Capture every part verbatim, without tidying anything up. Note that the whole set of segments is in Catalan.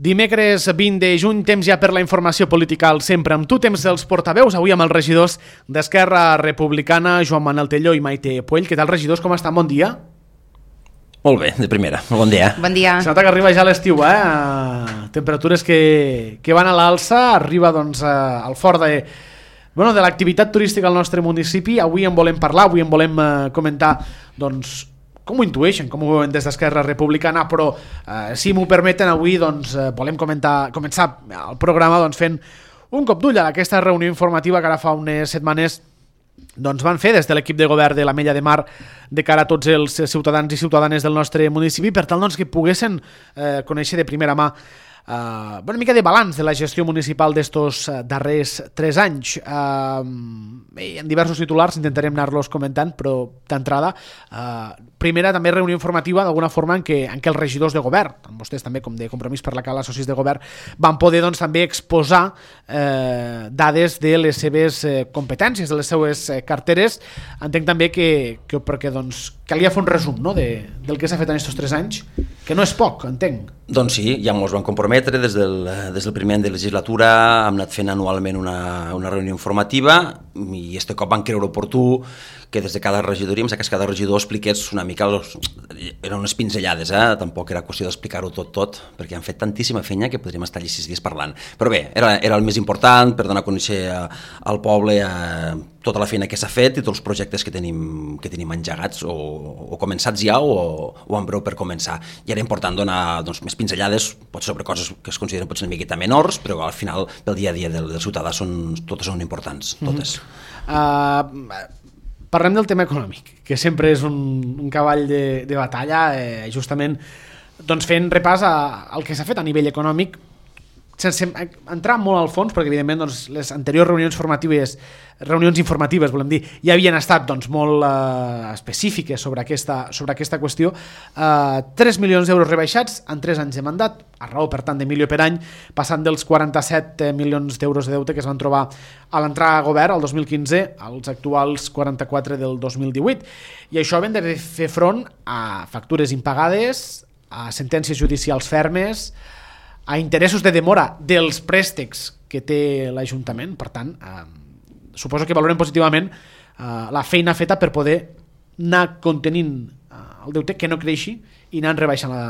Dimecres vint de juny, temps ja per la informació política al Sempre amb tu, temps dels portaveus, avui amb els regidors d'Esquerra Republicana, Joan Manuel Telló i Maite Puell. Què tal, regidors, com estan? Bon dia. Molt bé, de primera, bon dia. Bon dia. Se nota que arriba ja l'estiu, eh? Temperatures que, que van a l'alça, arriba doncs al fort de, bueno, de l'activitat turística al nostre municipi. Avui en volem parlar, avui en volem eh, comentar doncs com ho intueixen, com ho veuen des d'Esquerra Republicana, però eh, si m'ho permeten avui doncs, eh, volem comentar, començar el programa doncs, fent un cop d'ull a aquesta reunió informativa que ara fa unes setmanes doncs, van fer des de l'equip de govern de l'Ametlla de Mar de cara a tots els ciutadans i ciutadanes del nostre municipi per tal doncs, que poguessin eh, conèixer de primera mà Uh, una mica de balanç de la gestió municipal d'estos uh, darrers tres anys. Uh, en diversos titulars intentarem anar-los comentant, però d'entrada, uh, primera també reunió informativa d'alguna forma en què, en què els regidors de govern, tant vostès també com de Compromís per la Cala, socis de govern, van poder doncs, també exposar uh, dades de les seves uh, competències, de les seues uh, carteres. Entenc també que, que perquè doncs, calia fer un resum, no?, de, del que s'ha fet en aquests tres anys, que no és poc, entenc. Doncs sí, ja ens vam comprometre des del, des del primer any de legislatura, hem anat fent anualment una, una reunió informativa i este cop van creure oportú que des de cada regidoria, que cada regidor expliqués una mica, los, eren unes pinzellades, eh? Tampoc era qüestió d'explicar-ho tot, tot, perquè han fet tantíssima feina que podríem estar allà sis dies parlant. Però bé, era, era el més important per donar a conèixer al poble eh, tota la feina que s'ha fet i tots els projectes que tenim, que tenim engegats o, o començats ja o, o en breu per començar. I era important donar doncs, més pinzellades, potser sobre coses que es consideren potser una miqueta menors, però al final pel dia a dia del, del ciutadà són, totes són importants, totes. Mm-hmm. Uh, Parlem del tema econòmic, que sempre és un, un cavall de, de batalla, eh, justament doncs fent repàs a, al que s'ha fet a nivell econòmic, sense entrar molt al fons, perquè evidentment doncs, les anteriors reunions formatives, reunions informatives, volem dir, ja havien estat doncs, molt eh, específiques sobre aquesta, sobre aquesta qüestió. Eh, tres milions d'euros rebaixats en tres anys de mandat, a raó, per tant, de milió per any, passant dels quaranta-set milions d'euros de deute que es van trobar a l'entrar a govern el dos mil quinze als actuals quaranta-quatre del dos mil divuit. I això havent de fer front a factures impagades, a sentències judicials fermes, a interessos de demora dels préstecs que té l'Ajuntament. Per tant, eh, suposo que valorem positivament eh, la feina feta per poder anar contenint eh, el deute, que no creixi, i anar rebaixant la,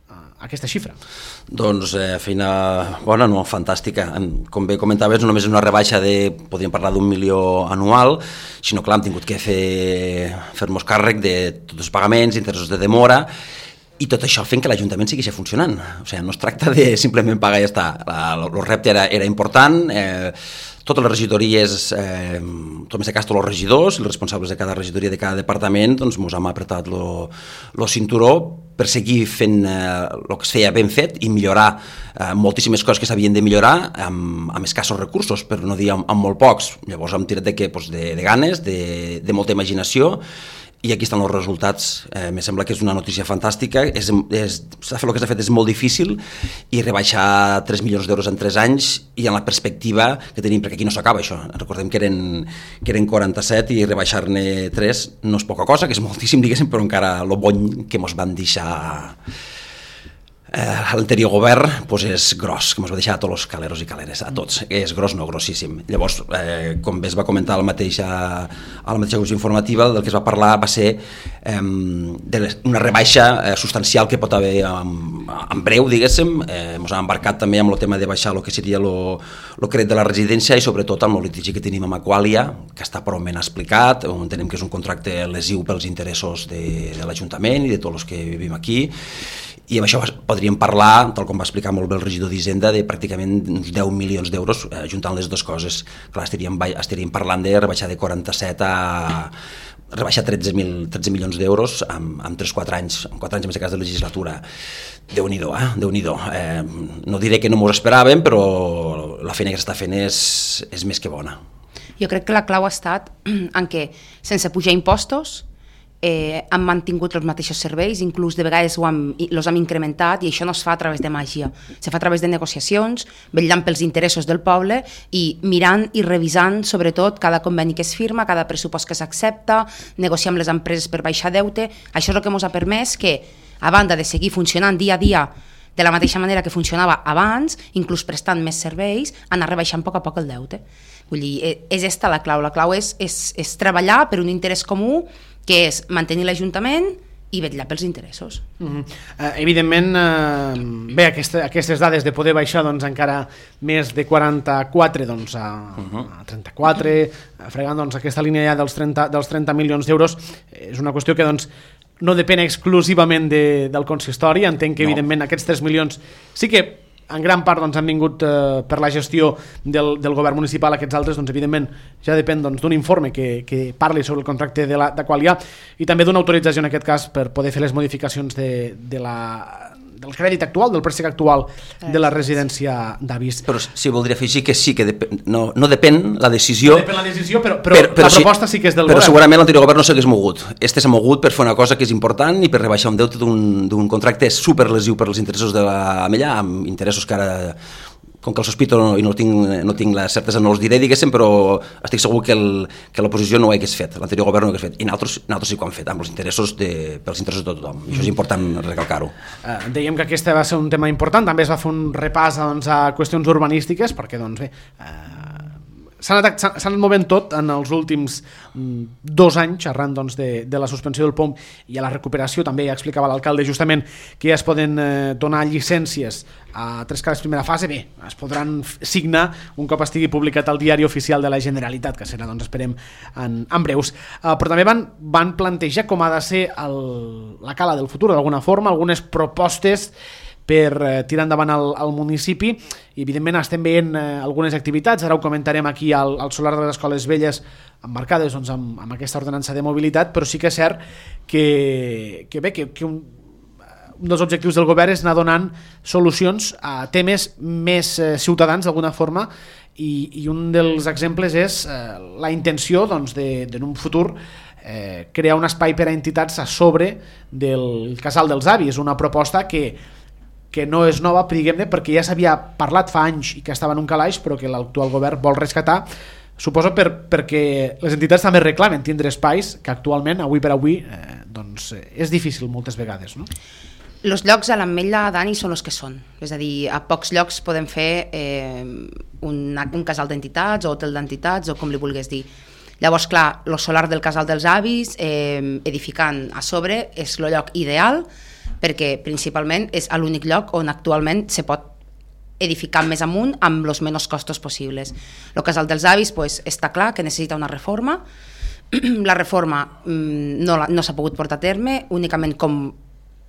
eh, aquesta xifra. Doncs eh, feina bona, no, fantàstica. Com bé comentaves, no només és una rebaixa de, podríem parlar d'un milió anual, sinó que l'hem tingut que fer, fer-nos càrrec de tots els pagaments, interessos de demora, i tot això fent que l'Ajuntament segueixi funcionant. O sigui, no es tracta de simplement pagar i ja està. El repte era, era important, eh, totes les regidories, eh, tot més de cas tots els regidors, els responsables de cada regidoria, de cada departament, doncs ens hem apretat el cinturó per seguir fent eh, el que es feia ben fet i millorar eh, moltíssimes coses que s'havien de millorar amb, amb escassos recursos, per no dir amb, amb molt pocs. Llavors hem tirat de, què? Pues de, de ganes, de, de molta imaginació, i aquí estan els resultats. Eh, me sembla que és una notícia fantàstica. És, és, s'ha fet el que s'ha fet és molt difícil, i rebaixar tres milions d'euros en tres anys i en la perspectiva que tenim, perquè aquí no s'acaba això. Recordem que eren, que eren quaranta-set i rebaixar-ne tres no és poca cosa, que és moltíssim, diguéssim, però encara el bony que ens van deixar Eh, l'anterior govern pues és gros, que ens va deixar a tots els caleros i caleres, a tots, és gros, no, grossíssim. Llavors, eh, com bé es va comentar a la mateixa, a la mateixa comissió informativa, del que es va parlar va ser eh, d'una rebaixa eh, substancial que pot haver en, en breu, diguéssim. Eh, ens hem embarcat també amb el tema de baixar el que seria el crèdit de la residència i sobretot amb el litigi que tenim amb Aqualia, que està prou ben explicat, on entenem que és un contracte lesiu pels interessos de, de l'Ajuntament i de tots els que vivim aquí. I amb això podríem parlar, tal com va explicar molt bé el regidor d'Hisenda, de pràcticament uns deu milions d'euros, eh, juntant les dues coses. Clar, estaríem, estaríem parlant de rebaixar de quaranta-set a rebaixar tretze milions d'euros en, en tres quatre anys, en quatre anys en aquest cas de legislatura. Déu-n'hi-do, eh? Déu-n'hi-do. Eh, no diré que no m'ho esperàvem, però la feina que s'està fent és, és més que bona. Jo crec que la clau ha estat en què, sense pujar impostos, Eh, han mantingut els mateixos serveis, inclús de vegades ho hem, els hem incrementat, i això no es fa a través de màgia, se fa a través de negociacions, vetllant pels interessos del poble i mirant i revisant sobretot cada conveni que es firma, cada pressupost que s'accepta, negociar amb les empreses per baixar deute. Això és el que ens ha permès que, a banda de seguir funcionant dia a dia de la mateixa manera que funcionava abans, inclús prestant més serveis, anar rebaixant a poc a poc el deute. Vull dir, és esta la clau. La clau és, és, és treballar per un interès comú, que és mantenir l'Ajuntament i vetllar pels interessos. Uh-huh. Uh, evidentment, uh, bé, aquesta, aquestes dades de poder baixar doncs, encara més de quaranta-quatre doncs, a, uh-huh. a trenta-quatre, uh, fregant doncs, aquesta línia ja dels trenta, dels trenta milions d'euros, és una qüestió que doncs, no depèn exclusivament de, del consistori. Entenc que, no. evidentment, aquests tres milions sí que en gran part doncs, han vingut eh, per la gestió del, del govern municipal. Aquests altres, doncs, evidentment, ja depèn doncs, d'un informe que, que parli sobre el contracte de, la, de qual hi ha, i també d'una autorització, en aquest cas, per poder fer les modificacions de, de la, del crèdit actual, del préstec actual de la residència d'avis. Però sí, voldria afegir que sí que depèn, no, no depèn la decisió... No depèn la decisió, però, però, però, però la proposta sí, sí que és del però govern. Però segurament l'anterior govern no s'hagués mogut. Este s'ha mogut per fer una cosa que és important i per rebaixar un deute d'un contracte superlesiu per als interessos de la Amella, amb interessos que ara... com que el sospito no, i no tinc, no tinc la certesa, no els diré, diguéssim, però estic segur que, el, que l'oposició no ho hagués fet, l'anterior govern no ho hagués fet, i nosaltres, nosaltres sí que ho hem fet, amb els interessos de, pels interessos de tothom, i això és important recalcar-ho. Uh, dèiem que aquest va ser un tema important, també es va fer un repàs doncs, a qüestions urbanístiques, perquè doncs bé... Uh, s'ha anat, anat movent tot en els últims mm, dos anys arran doncs, de, de la suspensió del P O M i a la recuperació. També ja explicava l'alcalde justament que ja es poden eh, donar llicències a tres cares primera fase. Bé, es podran signar un cop estigui publicat al diari oficial de la Generalitat, que serà, doncs, esperem, en, en breus. Uh, però també van, van plantejar com ha de ser el, la cala del futur, d'alguna forma, algunes propostes per eh, tirar endavant al, al municipi, i evidentment estem veient eh, algunes activitats. Ara ho comentarem aquí al, al solar de les Escoles Velles, emmarcades doncs, amb, amb aquesta ordenança de mobilitat, però sí que és cert que, que, bé, que, que un, un dels objectius del govern és anar donant solucions a temes més eh, ciutadans d'alguna forma, i, i un dels exemples és eh, la intenció doncs, de, de, en un futur, eh, crear un espai per a entitats a sobre del Casal dels Avis, una proposta que que no és nova, diguem-ne, perquè ja s'havia parlat fa anys i que estava en un calaix, però que l'actual govern vol rescatar, suposo per, perquè les entitats també reclamen tindre espais que actualment, avui per avui, eh, doncs, és difícil moltes vegades, no? Els llocs a l'Ametlla, Dani, són els que són. És a dir, a pocs llocs podem fer eh, un, un casal d'entitats o hotel d'entitats o com li vulguis dir. Llavors, clar, el solar del Casal dels Avis, eh, edificant a sobre, és el lloc ideal, perquè principalment és l'únic lloc on actualment se pot edificar més amunt amb els menys costos possibles. El Casal dels Avis pues, està clar que necessita una reforma. La reforma mm, no, no s'ha pogut portar a terme, únicament com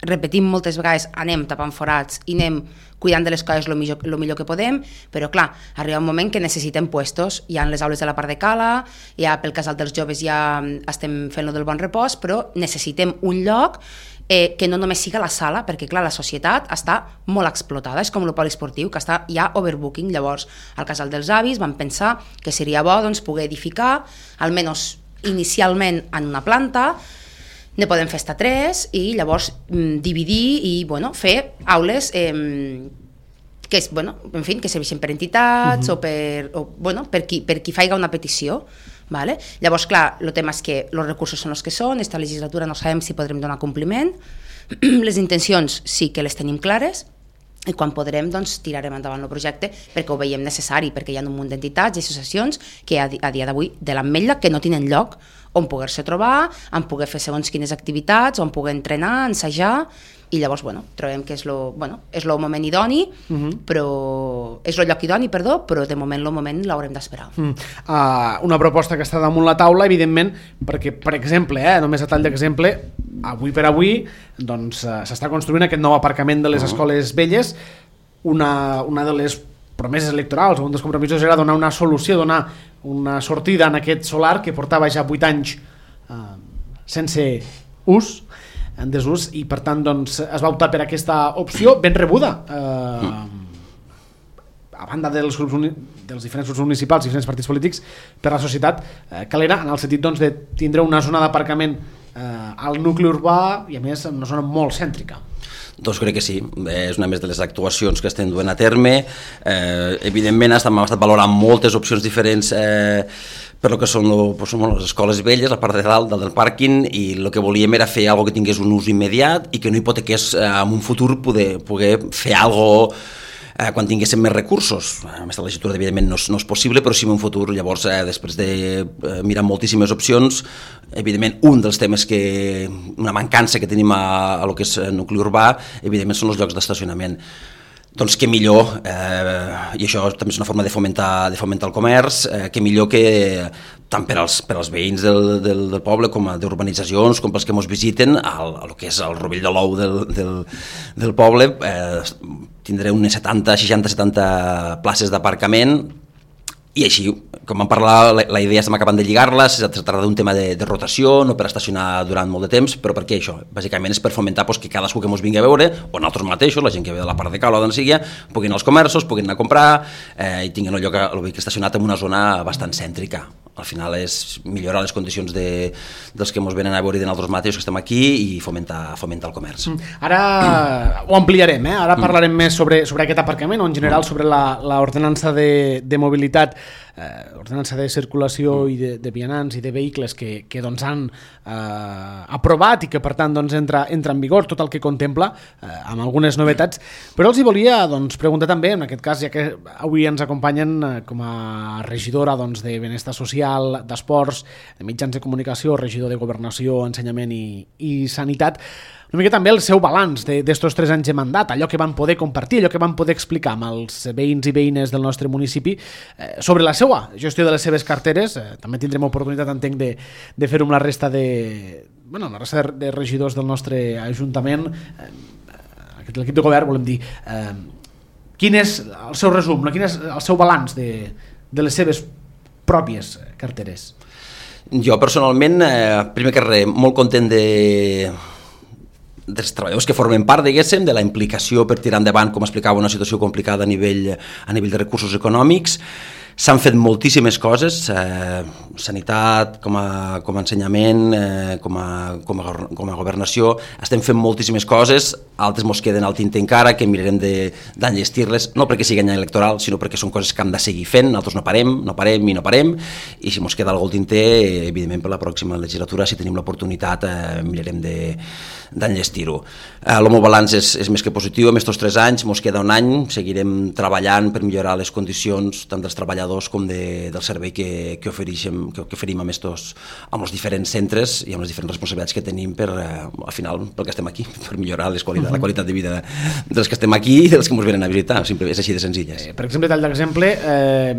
repetim moltes vegades, anem tapant forats i anem cuidant de les coses el millor, lo millor que podem, però clar, arriba un moment que necessitem puestos. Hi ha les aules de la part de Cala, ja pel Casal dels Joves ja estem fent-lo del Bon Repòs, però necessitem un lloc eh, que no només siga la sala, perquè clar, la societat està molt explotada, és com el poliesportiu, que està ja overbooking. Llavors, al Casal dels Avis vam pensar que seria bo doncs, poder edificar, almenys inicialment en una planta, ne podem fer estar tres i llavors mm, dividir i bueno, fer aules eh, que, és, bueno, en fi, que serveixen per entitats uh-huh. o, per, o bueno, per, qui, per qui faiga una petició. Vale? Llavors, clar, el tema és que els recursos són els que són, esta legislatura no sabem si podrem donar compliment, les intencions sí que les tenim clares, i quan podrem doncs, tirarem endavant el projecte perquè ho veiem necessari, perquè hi ha un munt d'entitats i associacions que a, a dia d'avui de l'Ametlla que no tenen lloc on poder-se trobar, on poder fer segons quines activitats, on poder entrenar, ensajar, i llavors bueno, trobem que és el bueno, és lo moment idoni, uh-huh. però és el lloc idoni, perdó, però de moment el moment l'haurem d'esperar. Uh, uh, una proposta que està damunt la taula, evidentment, perquè, per exemple, eh, només a tall d'exemple, avui per avui doncs, uh, s'està construint aquest nou aparcament de les uh-huh. Escoles Velles. Una, una de les promeses electorals, un dels compromisos era donar una solució, donar una sortida en aquest solar que portava ja vuit anys uh, sense ús, en desús, i per tant doncs, es va optar per aquesta opció ben rebuda eh, a banda dels, grups uni, dels diferents grups municipals i diferents partits polítics per la societat eh, calera, en el sentit doncs, de tindre una zona d'aparcament eh, al nucli urbà i a més en una zona molt cèntrica. Doncs crec que sí, és una més de les actuacions que estem duent a terme. Eh, evidentment estem, hem estat valorant moltes opcions diferents eh, per lo que són, lo, pues, són les escoles velles, la part de dalt, dalt del pàrquing, i el que volíem era fer alguna que tingués un ús immediat i que no hipotequés eh, en un futur poder, poder fer alguna cosa eh, quan tinguéssim més recursos. Aquesta legislatura evidentment no és, no és possible, però sí en un futur. Llavors, eh, després de eh, mirar moltíssimes opcions, evidentment un dels temes que, una mancança que tenim a, a lo que és el nucli urbà, evidentment són els llocs d'estacionament. Doncs què millor, eh, i això també és una forma de fomentar, de fomentar el comerç, eh, què millor que tant per als, per als veïns del, del, del poble com a d'urbanitzacions, com pels que ens visiten, al, a lo que és el rovell de l'ou del, del, del poble, eh, tindré unes setanta, seixanta, setanta places d'aparcament. I així, com vam parlar, la, la idea estem acabant de lligar-la, es tracta d'un tema de, de rotació, no per estacionar durant molt de temps, però per què això? Bàsicament és per fomentar pues, que cadascú que ens vingui a veure, o nosaltres mateixos, la gent que ve de la part de Cala o d'on sigui, puguin anar als comerços, puguin anar a comprar eh, i tinguin el lloc el vehicle estacionat en una zona bastant cèntrica. Al final és millorar les condicions de, dels que ens venen a veure de nosaltres mateixos que estem aquí i fomentar, fomentar el comerç. Mm. Ara ho ampliarem, eh? Ara parlarem mm. més sobre, sobre aquest aparcament o en general sobre l'ordenança de, de mobilitat, eh, ordenança de circulació mm. i de, de vianants i de vehicles que, que doncs, han eh, aprovat i que per tant doncs, entra, entra en vigor tot el que contempla eh, amb algunes novetats, però els hi volia doncs, preguntar també, en aquest cas ja que avui ens acompanyen eh, com a regidora doncs, de Benestar Social, d'Esports, de Mitjans de Comunicació, regidor de Governació, Ensenyament i, i Sanitat, una mica també el seu balanç d'estos tres anys de mandat, allò que van poder compartir, allò que van poder explicar amb els veïns i veïnes del nostre municipi eh, sobre la seva gestió de les seves carteres. Eh, també tindrem oportunitat, entenc, de, de fer-ho amb la resta de, bueno, la resta de, de regidors del nostre Ajuntament, eh, l'equip de govern, volem dir. Eh, quin és el seu resum, no? Quin és el seu balanç de, de les seves pròpies carteres? Jo personalment, eh, primer que res, molt content de dels treballadors que formen part, diguéssim, de la implicació per tirar endavant, com explicava, una situació complicada a nivell, a nivell de recursos econòmics. S'han fet moltíssimes coses, eh, sanitat, com a, com a ensenyament, eh, com, a, com, a, com a governació, estem fent moltíssimes coses, altres mos queden al tinte encara, que mirarem d'enllestir-les, no perquè sigui any electoral, sinó perquè són coses que hem de seguir fent, nosaltres no parem, no parem i no parem, i si mos queda algú al tinter, evidentment per la pròxima legislatura, si tenim l'oportunitat, eh, mirarem d'enllestir-ho. Eh, el meu balanç és, és més que positiu, en aquests tres anys, mos queda un any, seguirem treballant per millorar les condicions tant dels treballadors com de, del servei que, que, ofereixem, que, que oferim amb, estos, amb els diferents centres i amb les diferents responsabilitats que tenim per, eh, al final, pel que estem aquí, per millorar les qualitat, la qualitat de vida dels que estem aquí i dels que ens venen a visitar, simplement és així de senzilles. Eh, per exemple, tal d'exemple, eh,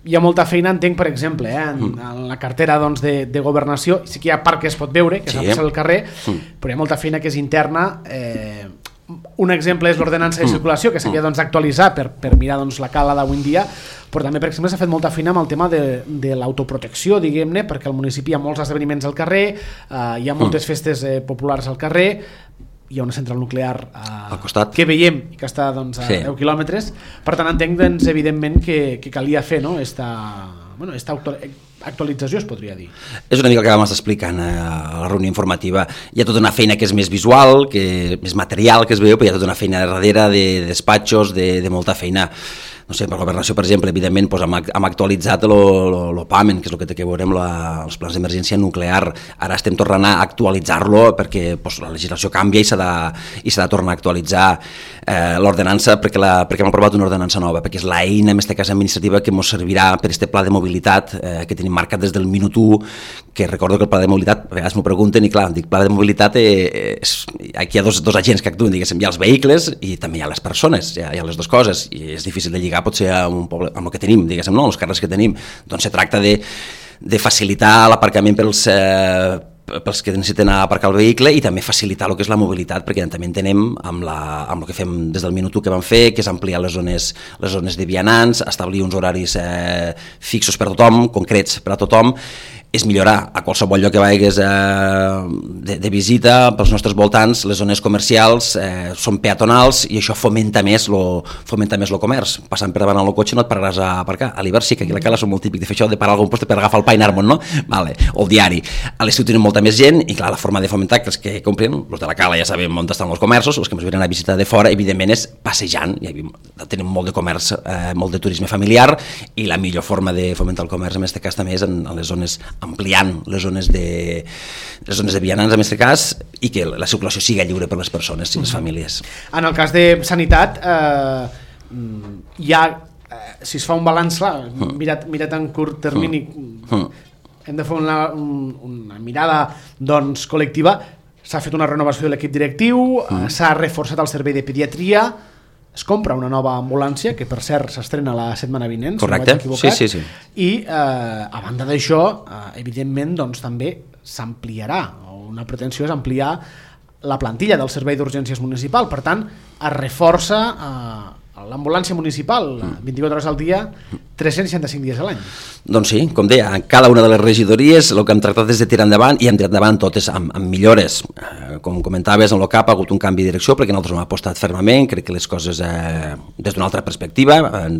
hi ha molta feina, entenc, per exemple, eh, en, mm. en la cartera doncs, de, de governació, sí que hi ha part que es pot veure, que sí. s'ha passat al carrer, mm. però hi ha molta feina que és interna. Eh, un exemple és l'ordenança de circulació, que s'havia doncs, d'actualitzar per, per mirar doncs, la cala d'avui en dia, però també, per exemple, s'ha fet molta feina amb el tema de, de l'autoprotecció, diguem-ne, perquè al municipi hi ha molts esdeveniments al carrer, eh, hi ha moltes festes eh, populars al carrer, hi ha una central nuclear eh, al costat que veiem i que està doncs, a sí. deu quilòmetres, per tant entenc doncs, evidentment que, que calia fer no? esta, bueno, esta actualització, es podria dir. És una mica el que vam estar explicant a la reunió informativa. Hi ha tota una feina que és més visual, que més material que es veu, però hi ha tota una feina darrere de despatxos, de, de molta feina. No sé, per governació, per exemple, evidentment doncs, hem, hem actualitzat l'OPAMEN, que és el que té que veure amb la, els plans d'emergència nuclear. Ara estem tornant a actualitzar-lo perquè doncs, la legislació canvia i s'ha de, i s'ha de tornar a actualitzar eh, l'ordenança perquè, la, perquè hem aprovat una ordenança nova, perquè és l'eina, en aquesta casa administrativa, que ens servirà per aquest pla de mobilitat eh, que tenim marcat des del minut u, que recordo que el pla de mobilitat, a vegades m'ho pregunten, i clar, dic, pla de mobilitat, eh, és, aquí hi ha dos, dos agents que actuen, diguéssim, hi ha els vehicles i també hi ha les persones, hi ha, hi ha les dues coses, i és difícil de lligar potser amb un poble, amb el que tenim, diguéssim, no? Els carrers que tenim, doncs se tracta de, de facilitar l'aparcament pels, eh, pels que necessiten aparcar el vehicle i també facilitar el que és la mobilitat, perquè també entenem amb, la, amb el que fem des del minut u que vam fer, que és ampliar les zones, les zones de vianants, establir uns horaris eh, fixos per a tothom, concrets per a tothom, és millorar a qualsevol lloc que vagis eh, de, de visita pels nostres voltants, les zones comercials eh, són peatonals i això fomenta més lo, fomenta més el comerç. Passant per davant el cotxe no et pararàs a aparcar. A l'hivern sí que aquí a la Cala són molt típic de fer això, de parar a algun lloc per agafar el pa i anar-me'n, no? Vale. O el diari. A l'estiu tenen molta més gent i clar, la forma de fomentar que els que compren, els de la Cala ja sabem on estan els comerços, els que ens venen a visitar de fora, evidentment és passejant, ja tenim molt de comerç, eh, molt de turisme familiar i la millor forma de fomentar el comerç en aquest cas també és en, en les zones, ampliant les zones de les zones de vianants en aquest cas i que la circulació sigui lliure per les persones i les famílies. En el cas de sanitat eh, hi ha, eh, si es fa un balanç clar, mm. mirat, mirat en curt termini mm. hem de fer una, un, una mirada doncs col·lectiva. S'ha fet una renovació de l'equip directiu, mm. s'ha reforçat el servei de pediatria, es compra una nova ambulància, que per cert s'estrena la setmana vinent, correcte, si no sí, sí, sí. I eh, a banda d'això, eh, evidentment, doncs, també s'ampliarà, una pretensió és ampliar la plantilla del servei d'urgències municipal, per tant, es reforça eh, l'ambulància municipal, vint-i-quatre hores al dia, tres-cents seixanta-cinc dies a l'any. Doncs sí, com deia, en cada una de les regidories el que hem tractat és de tirar endavant i hem tirat endavant totes amb, amb millores. Eh, com comentaves, en el C A P ha hagut un canvi de direcció perquè nosaltres hem apostat fermament, crec que les coses eh, des d'una altra perspectiva eh,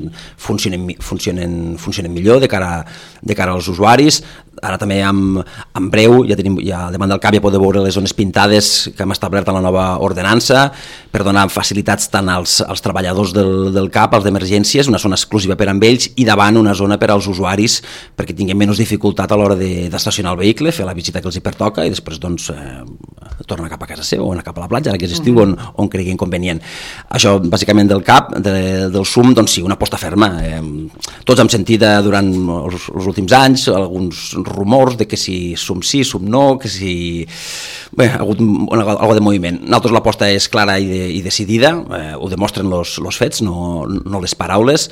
funcionen, funcionen, funcionen millor de cara, de cara als usuaris. Ara també en, en breu, ja tenim, ja davant del C A P ja podeu veure les zones pintades que hem establert en la nova ordenança per donar facilitats tant als, als treballadors del, del C A P, als d'emergències, una zona exclusiva per amb ells i davant una zona per als usuaris perquè tinguem menys dificultat a l'hora d'estacionar el vehicle, fer la visita que els hi pertoca i després doncs eh, tornar cap a casa seva o anar cap a la platja, ara que és estiu, mm -hmm. on, on creguin convenient. Això bàsicament del C A P, de, del S U M, doncs sí, una aposta ferma. Eh, tots hem sentit eh, durant els, els últims anys alguns rumors de que si S U M sí, S U M no, que si... Bé, ha hagut algo de moviment. Nosaltres l'aposta és clara i, de, i decidida, eh, ho demostren los, los fets, no, no les paraules.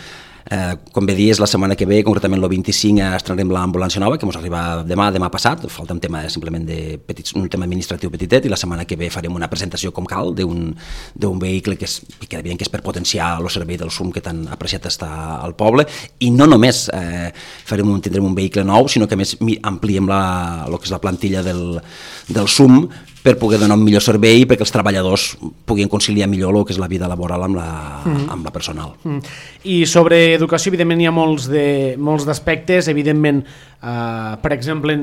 Eh, com bé dies, la setmana que ve, concretament el vint-i-cinc, estrenarem l'ambulància nova, que ens arriba demà, demà passat, falta un tema simplement de petits, un tema administratiu petitet, i la setmana que ve farem una presentació com cal d'un vehicle que és, que evident que és per potenciar el servei del S U M que tan apreciat està al poble, i no només eh, farem un, tindrem un vehicle nou, sinó que a més ampliem la, el que és la plantilla del, del S U M per poder donar un millor servei perquè els treballadors puguin conciliar millor el que és la vida laboral amb la, mm. amb la personal. Mm. I sobre educació, evidentment, hi ha molts de, molts d'aspectes. Evidentment, eh, per exemple,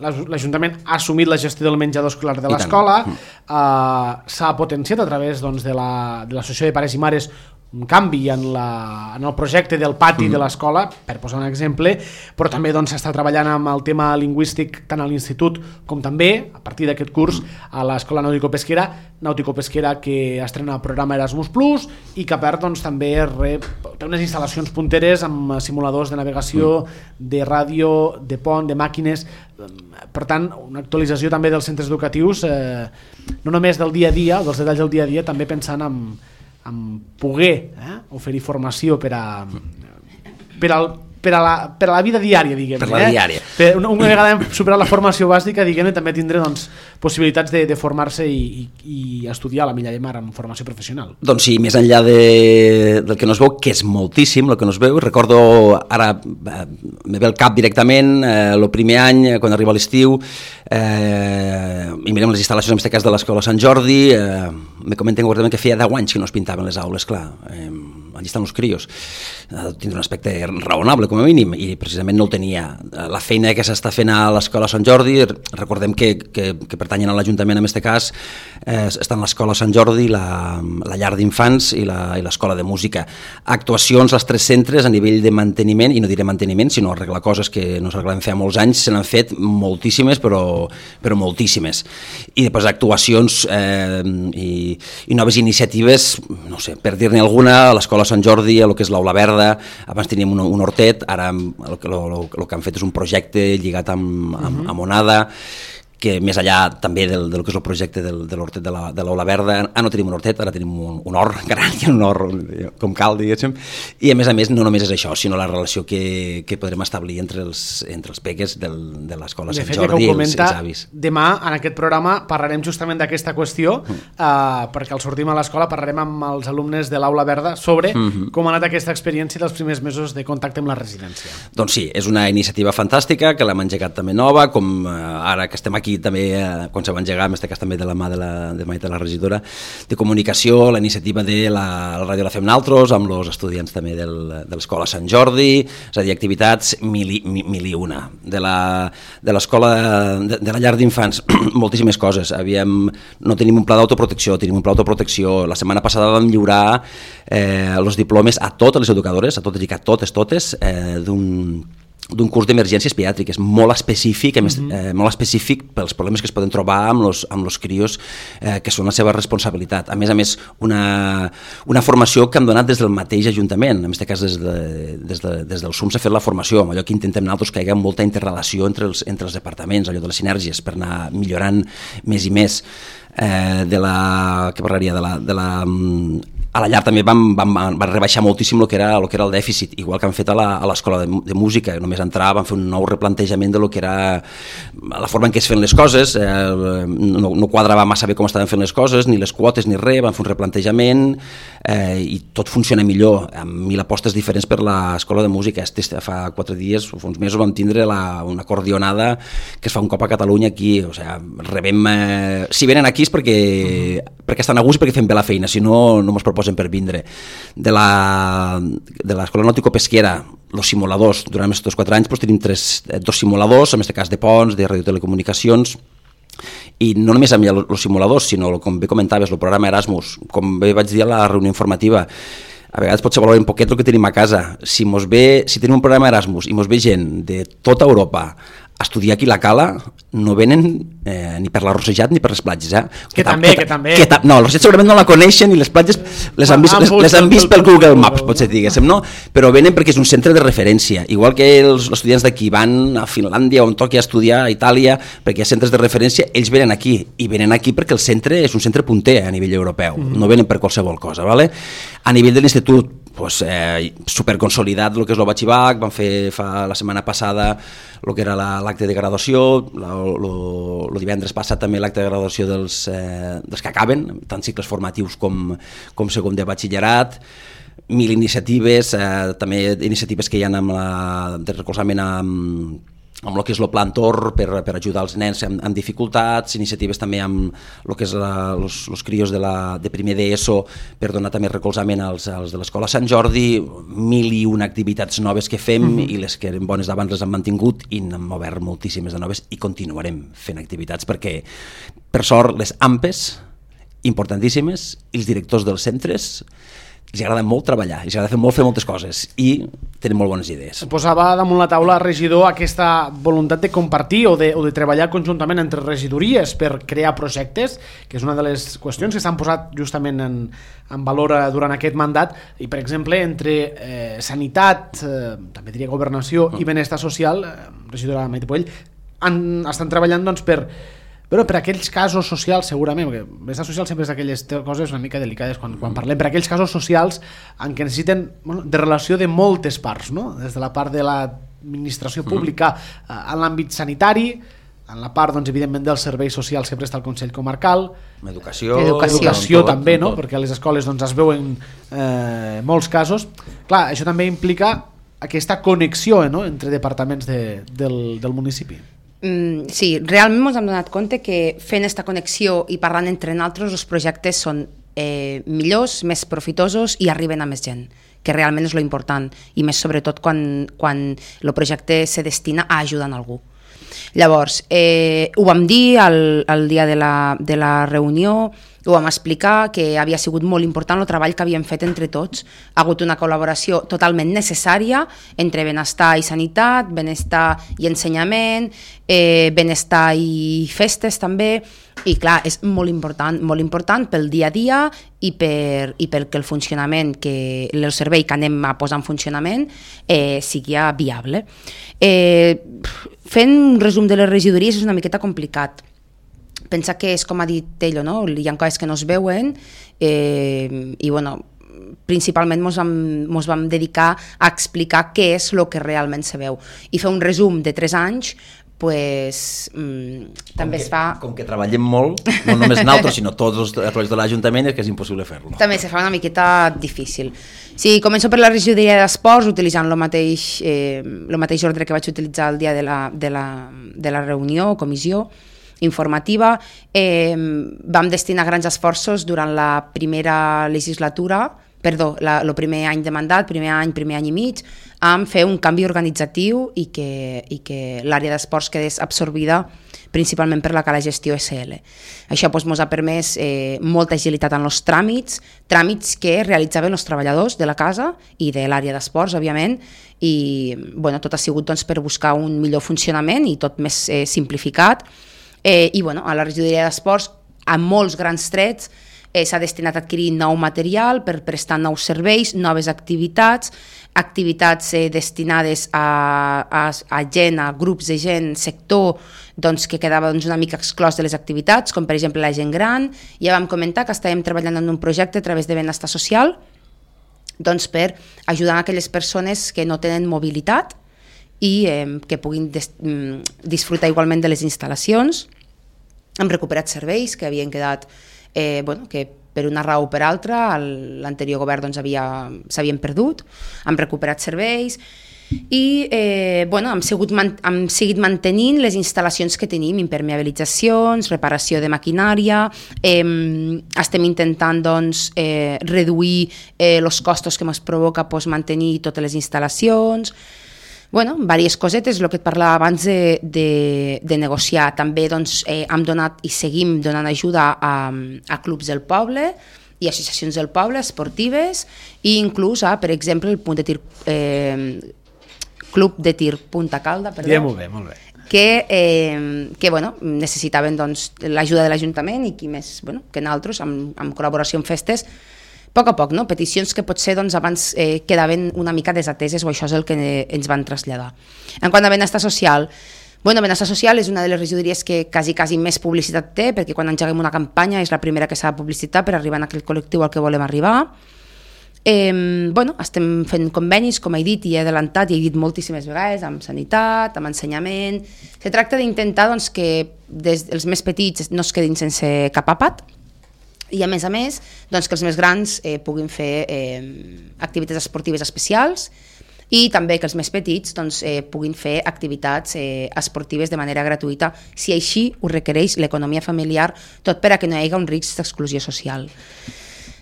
l'Ajuntament ha assumit la gestió del menjador escolar de l'escola, mm. eh, s'ha potenciat a través doncs, de l'Associació de Pares i Mares un canvi en, la, en el projecte del pati mm. de l'escola, per posar un exemple, però també doncs, s'està treballant amb el tema lingüístic tant a l'institut com també, a partir d'aquest curs, a l'escola nàutico-pesquera, nàutico-pesquera que estrena el programa Erasmus Plus i que a part doncs, també rep, té unes instal·lacions punteres amb simuladors de navegació, mm. de ràdio, de pont, de màquines. Per tant, una actualització també dels centres educatius, eh, no només del dia a dia, dels detalls del dia a dia, també pensant en en poder eh, oferir formació per a, per, al, per, a la, per a la vida diària, diguem. Per la eh? diària. Per, una, una vegada hem superat la formació bàsica, diguem, també tindré doncs, possibilitats de, de formar-se i, i, i estudiar a la Milla de Mar amb formació professional. Doncs sí, més enllà de, del que no es veu, que és moltíssim el que no es veu, recordo ara, eh, me ve el cap directament, eh, el primer any, quan arriba l'estiu, eh, i mirem les instal·lacions, en aquest cas de l'Escola Sant Jordi, eh, me comenten concretament que feia deu anys que no es pintaven les aules, clar, eh, allà estan els crios, eh, tindrà un aspecte raonable com a mínim, i precisament no el tenia. La feina que s'està fent a l'Escola Sant Jordi, recordem que, que, que pertanyen a l'Ajuntament en aquest cas, eh, estan l'Escola Sant Jordi, la, la llar d'infants i l'Escola de Música. Actuacions als tres centres a nivell de manteniment, i no diré manteniment, sinó arreglar coses que no s'arreglen feia molts anys, se n'han fet moltíssimes, però però moltíssimes. I després actuacions eh, i, i noves iniciatives, no sé, per dir-ne alguna, a l'Escola Sant Jordi, a lo que és l'Aula Verda, abans teníem un, un hortet, ara el, el, el, el que han fet és un projecte lligat amb, amb, amb Onada, que més allà també del, del que és el projecte del, de l'hortet de la, de l'Aula Verda, ara no tenim un hortet, ara tenim un, un hort, encara hi ha un hort com cal, diguéssim, i a més a més no només és això, sinó la relació que, que podrem establir entre els, entre els peques del, de l'Escola Sant Jordi i els, els avis. Demà, en aquest programa, parlarem justament d'aquesta qüestió, mm. uh, perquè al sortim a l'escola parlarem amb els alumnes de l'Aula Verda sobre mm -hmm. com ha anat aquesta experiència dels primers mesos de contacte amb la residència. Doncs sí, és una iniciativa fantàstica, que l'hem engegat també nova, com uh, ara que estem aquí aquí també, eh, quan se va engegar, en aquest cas també de la mà de la, de, de la regidora de comunicació, la iniciativa de la, la ràdio la fem naltros, amb els estudiants també del, de l'Escola Sant Jordi, és a dir, activitats mil i, mil i una. De l'escola, de, de la llar d'infants, moltíssimes coses. Havíem, no tenim un pla d'autoprotecció, tenim un pla d'autoprotecció. La setmana passada vam lliurar eh, els diplomes a totes les educadores, a totes i a totes, totes, eh, d'un d'un curs d'emergències pediàtriques molt específic, mm-hmm. eh, molt específic pels problemes que es poden trobar amb los, amb los crios eh, que són la seva responsabilitat. A més a més, una, una formació que hem donat des del mateix Ajuntament, en aquest cas des, de, des, de, des del S U M s'ha fet la formació, amb allò que intentem nosaltres que hi hagi molta interrelació entre els, entre els departaments, allò de les sinergies, per anar millorant més i més. Eh, de la, què parlaria, de la, de la a la llar també vam, vam, vam rebaixar moltíssim el que era, el que era el dèficit, igual que han fet a l'escola de, de música, només entrar van fer un nou replantejament de lo que era la forma en què es feien les coses, eh, no, no quadrava massa bé com estaven fent les coses, ni les quotes ni res, van fer un replantejament eh, i tot funciona millor, amb mil apostes diferents per l'escola de música. Este, fa quatre dies o fa uns mesos vam tindre la, una acordionada que es fa un cop a Catalunya aquí, o sigui, rebem, eh, si venen aquí és perquè, uh-huh. perquè estan a gust i perquè fem bé la feina, si no, no mos proposen per vindre. De la de l'escola nàutico-pesquera, els simuladors, durant aquests quatre anys doncs, tenim tres, dos simuladors, en aquest cas de ponts, de radiotelecomunicacions, i no només amb els simuladors, sinó, com bé comentaves, el programa Erasmus, com bé vaig dir a la reunió informativa, a vegades potser valorar un poquet el que tenim a casa. Si, mos ve, si tenim un programa Erasmus i mos ve gent de tota Europa a estudiar aquí la Cala, no venen eh, ni per l'Arrossejat ni per les platges. Eh? Que, que també, que, que també. Que ta, no, l'Arrossejat segurament no la coneixen i les platges les han vist, les, les han vist pel Google Maps, potser diguéssim, no? Però venen perquè és un centre de referència. Igual que els estudiants d'aquí van a Finlàndia o on toqui a estudiar, a Itàlia, perquè hi ha centres de referència, ells venen aquí. I venen aquí perquè el centre és un centre punter a nivell europeu. Mm. No venen per qualsevol cosa, ¿vale? A nivell de l'institut, pues, eh, superconsolidat el que és el batxibac, van fer fa la setmana passada el que era l'acte de graduació, el divendres passat també l'acte de graduació dels, eh, dels que acaben, tant cicles formatius com, com segon de batxillerat, mil iniciatives, eh, també iniciatives que hi ha amb la, de recolzament amb amb el que és el Plan Tor per, per ajudar els nens amb, amb dificultats, iniciatives també amb el que és els crios de, la, de primer d'ESO per donar també recolzament als, als de l'Escola Sant Jordi, mil i una activitats noves que fem mm-hmm. i les que eren bones d'abans les hem mantingut i n'hem obert moltíssimes de noves i continuarem fent activitats perquè, per sort, les A M P Es, importantíssimes, i els directors dels centres els agrada molt treballar, els agrada fer molt fer moltes coses i tenen molt bones idees. Posava damunt la taula, regidor, aquesta voluntat de compartir o de, o de treballar conjuntament entre regidories per crear projectes, que és una de les qüestions que s'han posat justament en, en valor durant aquest mandat, i per exemple entre eh, sanitat, eh, també diria governació mm. i benestar social, eh, regidora Maite Puell, han, estan treballant doncs per però per aquells casos socials, segurament, perquè benestar social sempre és d'aquelles coses una mica delicades quan, quan parlem, per aquells casos socials en què necessiten bueno, de relació de moltes parts, no? Des de la part de l'administració pública eh, en l'àmbit sanitari, en la part, doncs, evidentment, dels serveis socials que presta el Consell Comarcal, educació, educació, educació tot, també, no? Perquè a les escoles doncs, es veuen eh, molts casos. Clar, això també implica aquesta connexió eh, no? entre departaments de, del, del municipi. Mm, sí, realment ens hem donat compte que fent aquesta connexió i parlant entre nosaltres els projectes són eh, millors, més profitosos i arriben a més gent, que realment és lo important, i més sobretot quan, quan el projecte se destina a ajudar a algú. Llavors, eh, ho vam dir el, el dia de la, de la reunió, ho vam explicar, que havia sigut molt important el treball que havíem fet entre tots. Ha hagut una col·laboració totalment necessària entre benestar i sanitat, benestar i ensenyament, eh, benestar i festes també, i clar, és molt important, molt important pel dia a dia i per, i perquè el funcionament, que el servei que anem a posar en funcionament eh, sigui viable. Eh, fent un resum de les regidories és una miqueta complicat, pensa que és com ha dit ell, no? Hi ha coses que no es veuen eh, i bueno, principalment ens vam, mos vam dedicar a explicar què és el que realment se veu i fer un resum de tres anys pues, mmm, també que, es fa... Com que treballem molt, no només nosaltres, sinó tots els treballadors de l'Ajuntament, és que és impossible fer-lo. També se fa una miqueta difícil. Sí, començo per la regidoria d'esports, utilitzant el mateix, eh, el mateix ordre que vaig utilitzar el dia de la, de la, de la reunió o comissió informativa. Eh, vam destinar grans esforços durant la primera legislatura, perdó, la, el primer any de mandat, primer any, primer any i mig, amb fer un canvi organitzatiu i que, i que l'àrea d'esports quedés absorbida principalment per la Cala Gestió S L. Això doncs, ens ha permès eh, molta agilitat en els tràmits, tràmits que realitzaven els treballadors de la casa i de l'àrea d'esports, òbviament, i bueno, tot ha sigut doncs, per buscar un millor funcionament i tot més eh, simplificat. Eh, I bueno, a la regidoria d'esports, a molts grans trets, Eh, s'ha destinat a adquirir nou material per prestar nous serveis, noves activitats, activitats eh, destinades a, a, a gent, a grups de gent, sector, doncs, que quedava doncs, una mica exclòs de les activitats, com per exemple la gent gran. Ja vam comentar que estàvem treballant en un projecte a través de benestar social doncs, per ajudar a aquelles persones que no tenen mobilitat i eh, que puguin des, disfrutar igualment de les instal·lacions. Hem recuperat serveis que havien quedat Eh, bueno, que per una raó o per altra l'anterior govern doncs, havia, s'havien perdut, hem recuperat serveis i eh, bueno, hem, sigut, hem seguit mantenint les instal·lacions que tenim, impermeabilitzacions, reparació de maquinària, eh, estem intentant doncs, eh, reduir eh, els costos que ens provoca doncs, mantenir totes les instal·lacions. Bueno, diverses cosetes, el que et parlava abans de, de, de negociar. També doncs, eh, hem donat i seguim donant ajuda a, a clubs del poble i associacions del poble, esportives, i inclús a, per exemple, el punt de tir, eh, Club de Tir Punta Calda, perdó, ja, molt bé, molt bé. que, eh, que bueno, necessitaven doncs, l'ajuda de l'Ajuntament i qui més bueno, que nosaltres, amb, amb col·laboració amb festes, a poc a poc, no? Peticions que potser doncs, abans eh, quedaven una mica desateses o això és el que ens van traslladar. En quant a benestar social, bueno, benestar social és una de les regidories que quasi, quasi més publicitat té, perquè quan engeguem una campanya és la primera que s'ha de publicitar per arribar a aquell col·lectiu al que volem arribar. Eh, bueno, estem fent convenis, com he dit i he adelantat i he dit moltíssimes vegades, amb sanitat, amb ensenyament. Se tracta d'intentar doncs, que des, els més petits no es quedin sense cap àpat, i a més a més doncs, que els més grans eh, puguin fer eh, activitats esportives especials i també que els més petits doncs, eh, puguin fer activitats eh, esportives de manera gratuïta si així ho requereix l'economia familiar, tot per a que no hi hagi un risc d'exclusió social.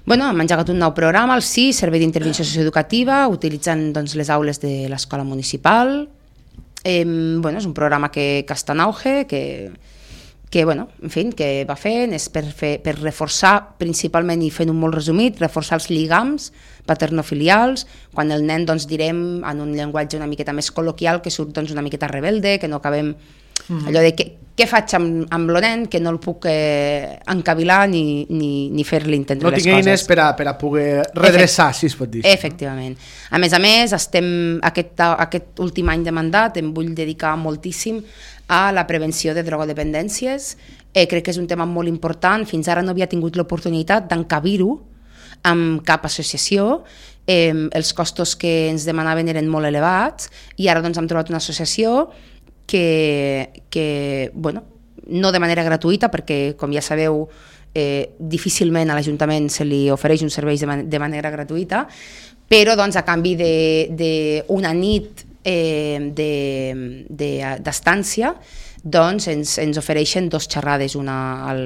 Bueno, hem engegat un nou programa, el S I, Servei d'Intervenció Socioeducativa, utilitzant doncs, les aules de l'escola municipal. Eh, bueno, és un programa que, que està en auge, que que, bueno, en fi, que va fent, és per, fer, per reforçar principalment, i fent un molt resumit, reforçar els lligams paternofilials, quan el nen, doncs, direm en un llenguatge una miqueta més col·loquial, que surt doncs, una miqueta rebelde, que no acabem mm-hmm. allò de què, què faig amb, amb el nen, que no el puc eh, encavilar ni, ni, ni fer-li entendre no les coses. No tinc eines per a, per a poder redreçar, Efect, si es pot dir. Efectivament. A més a més, estem, aquest, aquest últim any de mandat em vull dedicar moltíssim a la prevenció de drogodependències. Eh, crec que és un tema molt important. Fins ara no havia tingut l'oportunitat d'encabir-ho amb cap associació. Eh, els costos que ens demanaven eren molt elevats i ara doncs, hem trobat una associació que, que bueno, no de manera gratuïta, perquè, com ja sabeu, eh, difícilment a l'Ajuntament se li ofereix un servei de, man- de manera gratuïta, però doncs, a canvi d'una nit Eh, de, de, d'estància doncs ens, ens ofereixen dos xerrades, una al,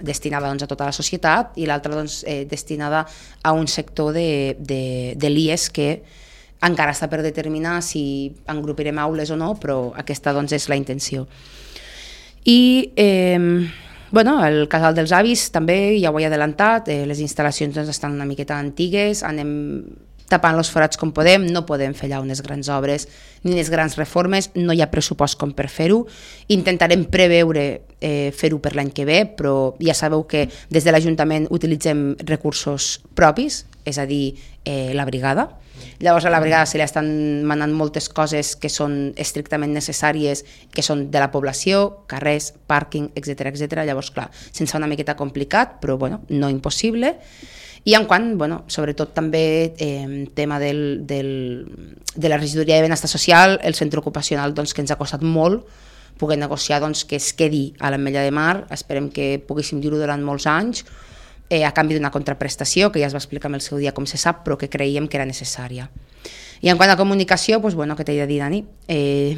destinada doncs, a tota la societat i l'altra doncs, eh, destinada a un sector de, de, de l'I E S que encara està per determinar si engrupirem aules o no, però aquesta doncs, és la intenció. I eh, bueno, el casal dels avis també ja ho he adelantat, eh, les instal·lacions doncs, estan una miqueta antigues, anem tapant els forats com podem, no podem fer allà unes grans obres ni unes grans reformes, no hi ha pressupost com per fer-ho. Intentarem preveure eh, fer-ho per l'any que ve, però ja sabeu que des de l'Ajuntament utilitzem recursos propis, és a dir, eh, la brigada. Llavors a la brigada se li estan manant moltes coses que són estrictament necessàries, que són de la població, carrers, pàrquing, etcètera etcètera. Llavors, clar, se'ns fa una miqueta complicat, però bueno, no impossible. I en quant, bueno, sobretot també eh, tema del, del, de la regidoria de benestar social, el centre ocupacional doncs, que ens ha costat molt poder negociar doncs, que es quedi a l'Ametlla de Mar, esperem que poguéssim dir-ho durant molts anys, eh, a canvi d'una contraprestació, que ja es va explicar en el seu dia com se sap, però que creiem que era necessària. I en quant a comunicació, doncs, bueno, què t'he de dir, Dani? Eh,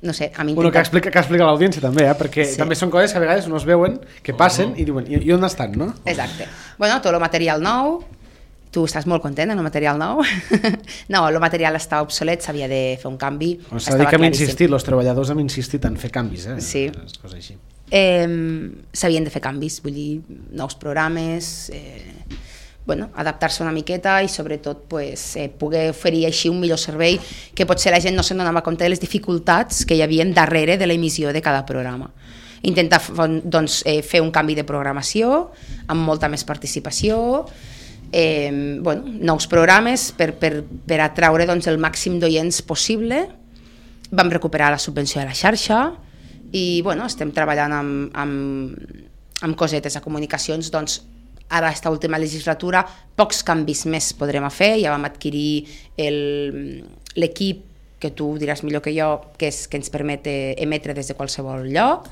no sé, a mi bueno, que explica, que explica l'audiència també, eh? Perquè sí. també són coses que a vegades no es veuen, que passen i diuen, i, i on estan, no? Exacte. Bueno, tot el material nou, tu estàs molt content amb el material nou? No, el material està obsolet, s'havia de fer un canvi. O s'ha dit que hem insistit, els treballadors hem insistit en fer canvis, eh? Sí. Les coses així. Eh, s'havien de fer canvis, vull dir, nous programes, eh, bueno, adaptar-se una miqueta i sobretot pues, eh, poder oferir així un millor servei, que potser la gent no se'n donava compte de les dificultats que hi havia darrere de l'emissió de cada programa. Intentar doncs, eh, fer un canvi de programació amb molta més participació, eh, bueno, nous programes per, per, per atraure doncs, el màxim d'oients possible. Vam recuperar la subvenció de la xarxa i bueno, estem treballant amb, amb, amb cosetes a comunicacions, doncs ara aquesta última legislatura pocs canvis més podrem fer, ja vam adquirir l'equip que tu diràs millor que jo, que, és, que ens permet emetre des de qualsevol lloc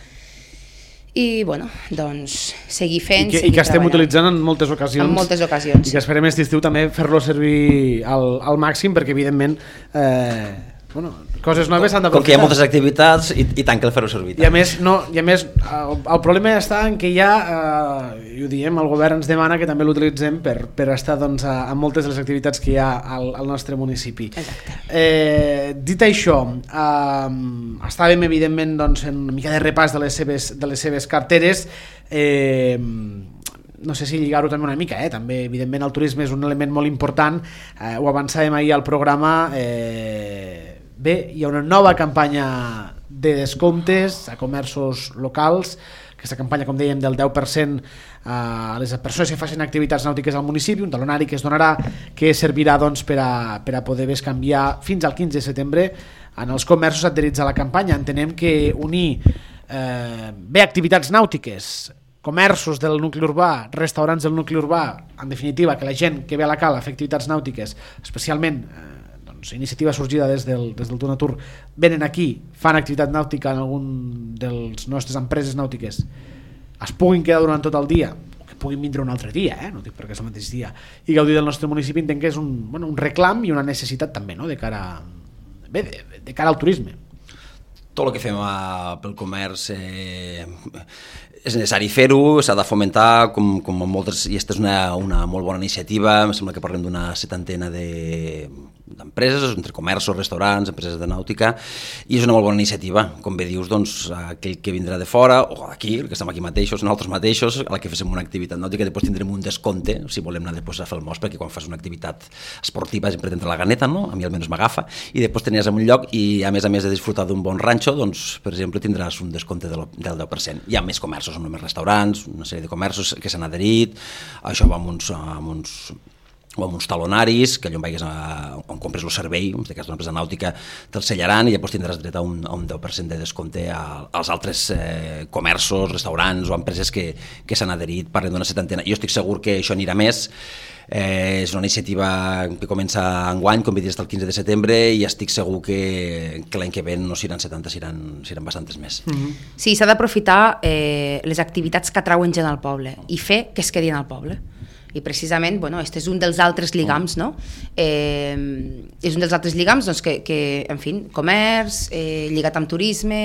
i bueno, doncs seguir fent, I que, seguir i que estem treballant. utilitzant en moltes ocasions. En moltes ocasions. I que esperem aquest estiu també fer-lo servir al, al màxim perquè evidentment eh, bueno, coses noves s'han d'aprofitar. Com que hi ha moltes activitats i, i tant que el fer-ho servir. I a més, no, i a més el, el problema està en que ja, eh, i ho diem, el govern ens demana que també l'utilitzem per, per estar doncs, a, a moltes de les activitats que hi ha al, al nostre municipi. Exacte. Eh, dit això, eh, estàvem evidentment doncs, en una mica de repàs de les seves, de les seves carteres, eh, no sé si lligar-ho també una mica, eh? També evidentment el turisme és un element molt important, eh, ho avançàvem ahir al programa, eh, bé, hi ha una nova campanya de descomptes a comerços locals, aquesta campanya, com dèiem, del deu per cent a les persones que facin activitats nàutiques al municipi, un talonari que es donarà, que servirà doncs, per, a, per a poder bescanviar fins al quinze de setembre en els comerços adherits a la campanya. Entenem que unir eh, bé activitats nàutiques, comerços del nucli urbà, restaurants del nucli urbà, en definitiva, que la gent que ve a la cala a fer activitats nàutiques, especialment eh, iniciativa sorgida des del, des del Donatur, venen aquí, fan activitat nàutica en algun dels nostres empreses nàutiques, es puguin quedar durant tot el dia, o que puguin vindre un altre dia, eh? No dic perquè és el mateix dia, i gaudir del nostre municipi, entenc que és un, bueno, un reclam i una necessitat també, no? de, cara, bé, de, de cara al turisme. Tot el que fem a, pel comerç eh, és necessari fer-ho, s'ha de fomentar, com, com moltes, i aquesta és una, una molt bona iniciativa, em sembla que parlem d'una setantena de d'empreses, entre comerços, restaurants, empreses de nàutica, i és una molt bona iniciativa. Com bé dius, doncs, aquell que vindrà de fora, o d'aquí, que estem aquí mateixos, nosaltres mateixos, a la que fem una activitat nàutica, després tindrem un descompte, si volem anar després a fer el mos, perquè quan fas una activitat esportiva sempre t'entra la ganeta, no? A mi almenys m'agafa, i després tenies en un lloc, i a més a més de disfrutar d'un bon ranxo, doncs, per exemple, tindràs un descompte del deu per cent. Hi ha més comerços, no només restaurants, una sèrie de comerços que s'han adherit, això va amb uns, amb uns o amb uns talonaris, que allò on vagis a, on compres el servei, en aquest cas d'una empresa nàutica, te'l sellaran i llavors tindràs dret a un, a un deu per cent de descompte a, als altres eh, comerços, restaurants o empreses que, que s'han adherit, parlem d'una setantena. Jo estic segur que això anirà més, eh, és una iniciativa que comença enguany, com bé dius, el quinze de setembre, i estic segur que, que l'any que ve no seran setanta, seran, seran bastantes més. Mm-hmm. Sí, s'ha d'aprofitar eh, les activitats que atrauen gent al poble i fer que es quedin al poble. I precisament, bueno, este és un dels altres lligams, no? Eh, és un dels altres lligams doncs, que, que, en fi, comerç, eh, lligat amb turisme,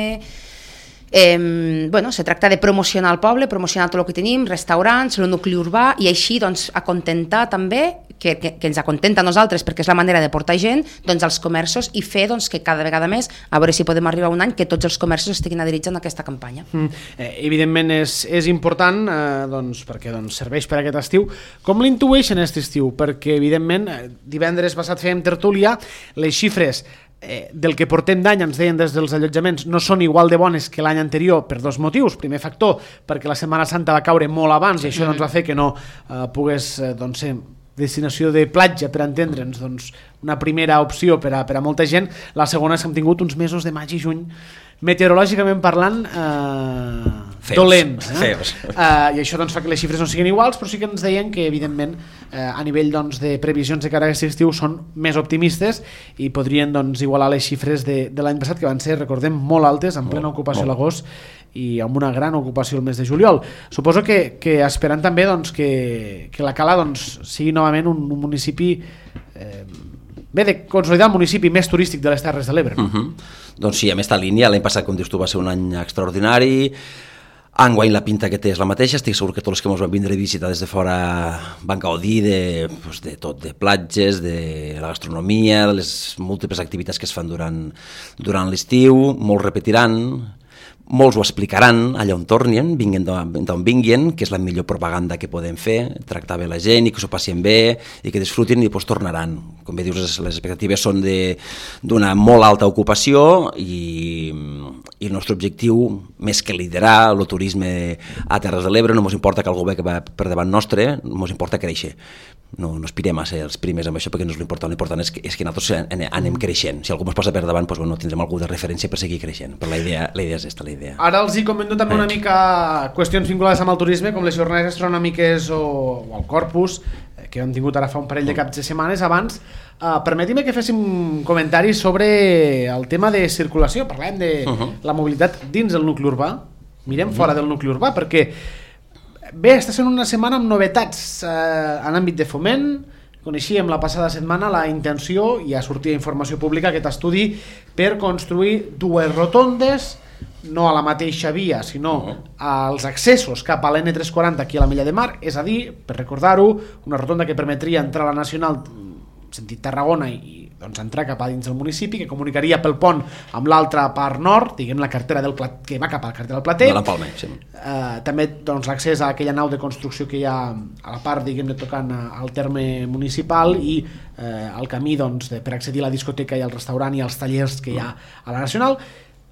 Eh, bueno, se tracta de promocionar el poble, promocionar tot el que tenim, restaurants, el nucli urbà, i així doncs, acontentar també, que, que, que ens acontenta a nosaltres perquè és la manera de portar gent, doncs, als comerços i fer doncs, que cada vegada més, a veure si podem arribar a un any, que tots els comerços estiguin adherits en aquesta campanya. Mm. Eh, evidentment és, és important eh, doncs, perquè doncs, serveix per aquest estiu. Com l'intueixen aquest estiu? Perquè evidentment divendres passat fèiem tertúlia, les xifres Eh, del que portem d'any, ens deien des dels allotjaments, no són igual de bones que l'any anterior per dos motius. Primer factor, perquè la Setmana Santa va caure molt abans i això doncs, va fer que no eh, pogués eh, doncs, ser destinació de platja, per entendre'ns, doncs, una primera opció per a, per a molta gent. La segona és que hem tingut uns mesos de maig i juny meteorològicament parlant eh, feus, dolents eh? Feus. Eh, i això doncs, fa que les xifres no siguin iguals, però sí que ens deien que evidentment eh, a nivell doncs, de previsions de cara a aquest estiu són més optimistes i podrien doncs, igualar les xifres de, de l'any passat, que van ser, recordem, molt altes, en plena ocupació a l'agost i amb una gran ocupació el mes de juliol. Suposo que, que esperant també doncs, que, que la Cala doncs, sigui novament un, un municipi eh, bé, de consolidar el municipi més turístic de les Terres de l'Ebre. No? Uh-huh. Doncs sí, amb aquesta línia, l'any passat, com dius tu, va ser un any extraordinari. Enguany la pinta que té és la mateixa, estic segur que tots els que ens van vindre a visitar des de fora van gaudir de, doncs, de tot, de platges, de la gastronomia, de les múltiples activitats que es fan durant, durant l'estiu, molts repetiran, molts ho explicaran allà on tornin, vinguin d'on vinguin, que és la millor propaganda que podem fer, tractar bé la gent i que s'ho passin bé i que disfrutin i després tornaran. Com bé dius, les expectatives són d'una molt alta ocupació i, i el nostre objectiu, més que liderar el turisme a Terres de l'Ebre, no ens importa que algú ve que va per davant nostre, ens importa créixer. No, no aspirem a ser els primers amb això perquè no és l'important, l'important és que, és que nosaltres anem creixent. Si algú ens posa per davant, doncs, bueno, tindrem algú de referència per seguir creixent, però la idea, la idea és aquesta, la idea. Ara els hi comento també una mica qüestions vinculades amb el turisme, com les jornades gastronòmiques o, o el Corpus, que hem tingut ara fa un parell de caps de setmanes. Abans, uh, permetim que féssim comentaris sobre el tema de circulació. Parlem de uh-huh. la mobilitat dins del nucli urbà, mirem uh-huh. fora del nucli urbà, perquè bé, està sent una setmana amb novetats eh, en àmbit de foment. Coneixíem la passada setmana la intenció, i ja sortia informació pública, aquest estudi per construir dues rotondes, no a la mateixa via, sinó als accessos cap a l'N tres quaranta aquí a la Mella de Mar, és a dir, per recordar-ho, una rotonda que permetria entrar a la Nacional sentit Tarragona i doncs, entrar cap a dins del municipi, que comunicaria pel pont amb l'altra part nord, diguem la carretera del Plat, que va cap a la carretera del Plater. De l'Empalme, sí. Eh, també doncs, l'accés a aquella nau de construcció que hi ha a la part, diguem, de tocant al terme municipal i eh, el camí doncs, de, per accedir a la discoteca i al restaurant i als tallers que hi ha a la Nacional.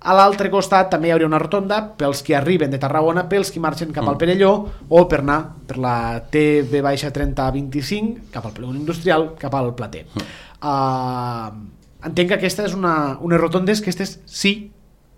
A l'altre costat també hi hauria una rotonda pels que arriben de Tarragona, pels que marxen cap al Perelló o per anar per la T V trenta vint-i-cinc cap al polígon industrial, cap al Plater. Uh, entenc que aquesta és una, unes rotondes que aquestes sí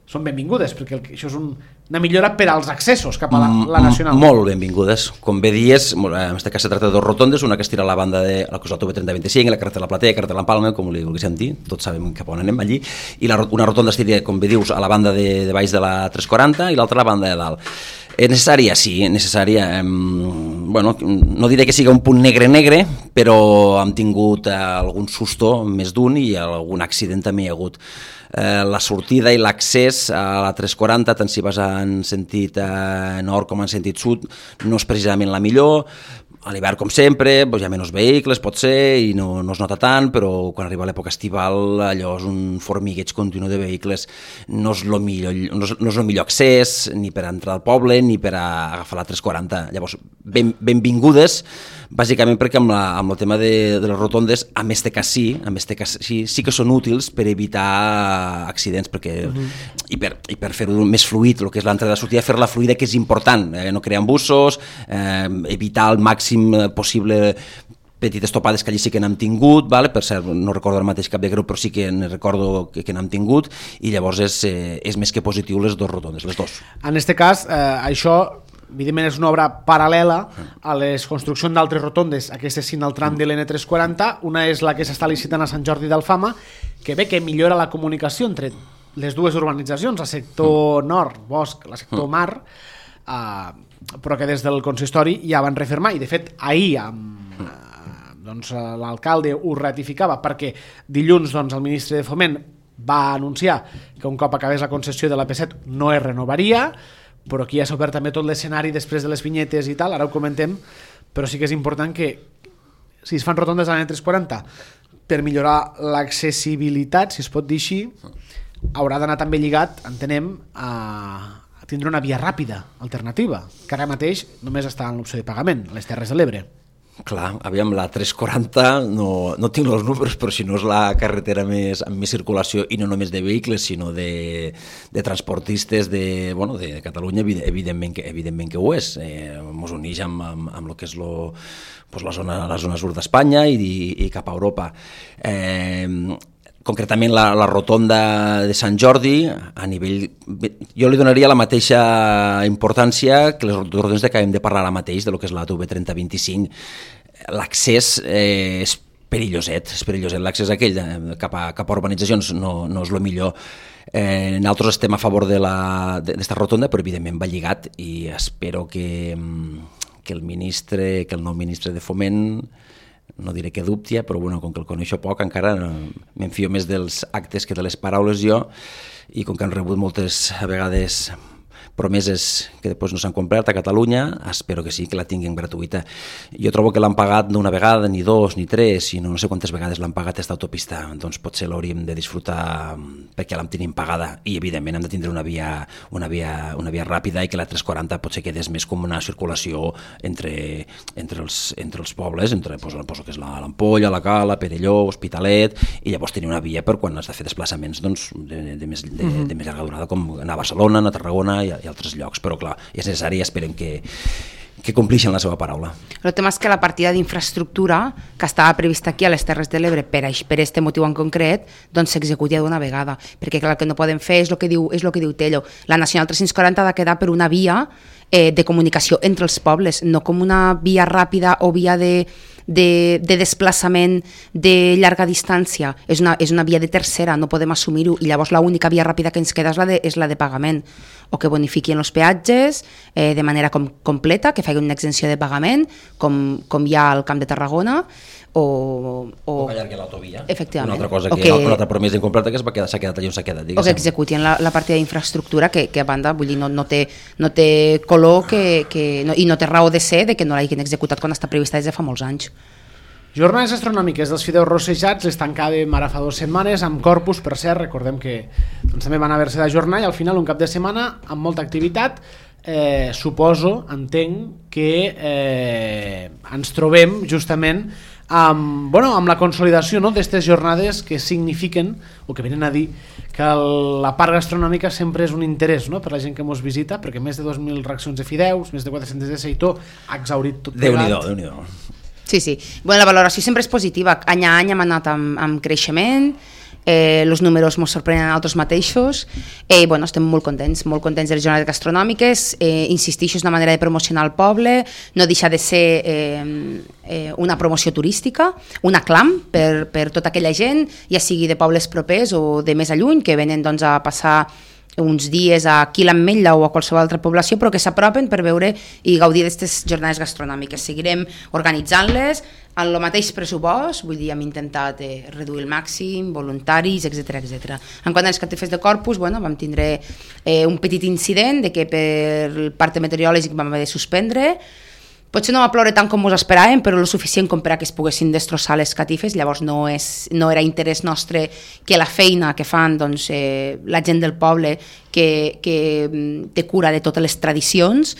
són benvingudes, perquè el, això és un, una millora per als accessos cap a la, la Nacional. Molt benvingudes. Com bé dies, en aquest cas se tracta de dues rotondes, una que es tira a la banda de la cosa T V trenta vint-i-cinc, la carretera de la Platea, la carretera de l'Empalme, com li vulguis dir, tots sabem cap on anem allí, i la, una rotonda es tira, com bé dius, a la banda de, de baix de la tres quaranta i l'altra a la banda de dalt. És necessària, sí, necessària. Eh, bueno, no diré que sigui un punt negre-negre, però hem tingut eh, algun susto, més d'un, i algun accident també hi ha hagut. Eh, la sortida i l'accés a la tres quaranta, tant si vas en sentit eh, nord com en sentit sud, no és precisament la millor. A l'hivern, com sempre, doncs hi ha menys vehicles, pot ser, i no, no es nota tant, però quan arriba l'època estival, allò és un formigueig continu de vehicles, no és el millor, no és, no és el millor accés, ni per entrar al poble, ni per a agafar la tres quaranta. Llavors, ben, benvingudes, bàsicament perquè amb, la, amb el tema de, de les rotondes, a més de que sí, a més de que sí, sí que són útils per evitar accidents, perquè, uh-huh. i per, i per fer-ho més fluid, el que és l'entrada i la sortida, fer-la fluida, que és important, eh, no crear embussos, eh, evitar al màxim possible petites topades que allí sí que n'hem tingut, vale? Per cert, no recordo el mateix cap de greu, però sí que ne recordo que, que n'hem tingut, i llavors és, eh, és més que positiu les dues rotondes, les dues. En aquest cas, eh, això evidentment és una obra paral·lela a les construccions d'altres rotondes, aquestes sí al tram de l'N tres quaranta, una és la que s'està licitant a Sant Jordi d'Alfama, que ve que millora la comunicació entre les dues urbanitzacions, el sector nord, bosc, el sector mar, eh, però que des del consistori ja van refermar, i de fet ahir amb, eh, doncs, l'alcalde ho ratificava, perquè dilluns doncs, el ministre de Foment va anunciar que un cop acabés la concessió de l'A P set no es renovaria, però aquí ja s'ha obert també tot l'escenari després de les vinyetes i tal, ara ho comentem, però sí que és important que si es fan rotondes a l'N tres cents quaranta per millorar l'accessibilitat, si es pot dir així, haurà d'anar també lligat, entenem, a, a tindre una via ràpida alternativa, que ara mateix només està en l'opció de pagament, a les Terres de l'Ebre. Clar, aviam, la tres quaranta, no, no tinc els números, però si no és la carretera més, amb més circulació, i no només de vehicles, sinó de, de transportistes de, bueno, de Catalunya, evidentment que, evidentment que ho és. Eh, mos uneix amb, amb, amb el que és lo, pues la, zona, la zona sud d'Espanya i, i, i cap a Europa. Eh, concretament la, la rotonda de Sant Jordi, a nivell, jo li donaria la mateixa importància que les rotondes que acabem de parlar ara mateix, de lo que és la T V trenta vint-i-cinc. L'accés eh, és perilloset, és perilloset. L'accés aquell cap a, cap a urbanitzacions no, no és el millor. Eh, nosaltres estem a favor d'esta rotonda, però evidentment va lligat i espero que, que el ministre, que el nou ministre de Foment, no diré que dubti, però bueno, com que el coneixo poc encara m'enfio més dels actes que de les paraules jo, i com que han rebut moltes vegades promeses que després no s'han complert a Catalunya, espero que sí, que la tinguin gratuïta. Jo trobo que l'han pagat no una vegada, ni dos, ni tres, sinó no sé quantes vegades l'han pagat aquesta autopista, doncs potser l'hauríem de disfrutar perquè l'hem tenim pagada, i evidentment hem de tindre una via, una via, una via ràpida i que la tres quaranta potser quedés més com una circulació entre, entre, els, entre els pobles, entre pues, pues, que és l'Ampolla, la Cala, Perelló, Hospitalet, i llavors tenir una via per quan has de fer desplaçaments doncs, de, de, més, de, de més llarga durada, com anar a Barcelona, anar a Tarragona i, i altres llocs, però clar, és necessari i esperem que, que complixen la seva paraula. El tema és que la partida d'infraestructura que estava prevista aquí a les Terres de l'Ebre per per este motiu en concret, doncs s'executi d'una vegada, perquè clar, el que no podem fer és el que diu, és el que diu Tello. La Nacional tres-cents quaranta ha de quedar per una via eh, de comunicació entre els pobles, no com una via ràpida o via de De, de desplaçament de llarga distància, és una, és una via de tercera, no podem assumir-ho, i llavors l'única via ràpida que ens queda és la de, és la de pagament, o que bonifiquin els peatges eh, de manera com, completa, que facin una exenció de pagament, com, com hi ha al Camp de Tarragona, o... O, o que allargui l'autovia. Efectivament. Una altra cosa, que, que, una altra promesa incompleta que s'ha quedat, quedat allà on s'ha quedat. Diguéssim. O que executin la, la partida d'infraestructura, que, que a banda, vull dir, no, no, té, no té color que, que, no, i no té raó de ser de que no l'hagin executat quan està prevista des de fa molts anys. Jornades astronòmiques dels fideus rossejats les tancàvem ara fa dues setmanes amb Corpus, per cert, recordem que doncs, també van haver-se d'ajornar i al final un cap de setmana amb molta activitat. Eh, suposo, entenc que eh, ens trobem justament amb, bueno, amb la consolidació, no, d'aquestes jornades que signifiquen o que venen a dir que el, la part gastronòmica sempre és un interès, no, per la gent que ens visita, perquè més de dos mil racions de fideus, més de quatre-centes de seitó, ha exhaurit tot plegat. Déu-n'hi-do, Déu-n'hi-do. Sí, sí. Bueno, la valoració sempre és positiva. Any a any hem anat amb, amb creixement, eh, els números ens sorprenen a nosaltres mateixos, eh, bueno, estem molt contents, molt contents de les jornades gastronòmiques, eh, insistixo, és una manera de promocionar el poble, no deixa de ser eh, eh, una promoció turística, un aclam per, per tota aquella gent, ja sigui de pobles propers o de més a lluny, que venen doncs, a passar uns dies aquí a l'Ametlla o a qualsevol altra població, però que s'apropen per veure i gaudir d'aquestes jornades gastronòmiques. Seguirem organitzant-les en el mateix pressupost, vull dir, hem intentat eh, reduir el màxim, voluntaris, etcètera etcètera. En quant als catifes de Corpus, bueno, vam tindre eh, un petit incident de que per el parte meteorològic vam haver de suspendre. Potser no va ploure tant com ens esperàvem, però el suficient com per a que es poguessin destrossar les catifes, llavors no, és, no era interès nostre que la feina que fan doncs, eh, la gent del poble que, que té cura de totes les tradicions,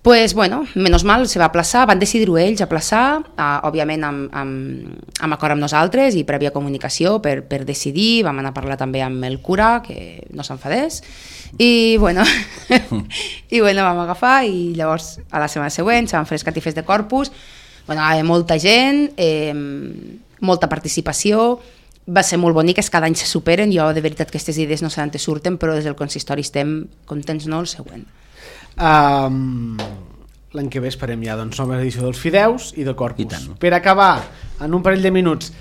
pues, bueno, menys mal, se va aplaçar, van decidir-ho ells aplaçar, eh, òbviament amb, amb, amb acord amb nosaltres i prèvia comunicació per, per decidir, vam anar a parlar també amb el cura, que no s'enfadés, i bueno, i bueno, vam agafar i llavors a la setmana següent se van fer les catifes de Corpus, bueno, hi havia molta gent, eh, molta participació, va ser molt bonic, cada any se superen, jo de veritat que aquestes idees no sé on te surten, però des del consistori estem contents, no? El següent. Um, l'any que ve esperem ja doncs, nova edició dels fideus i de Corpus. Per acabar, en un parell de minuts,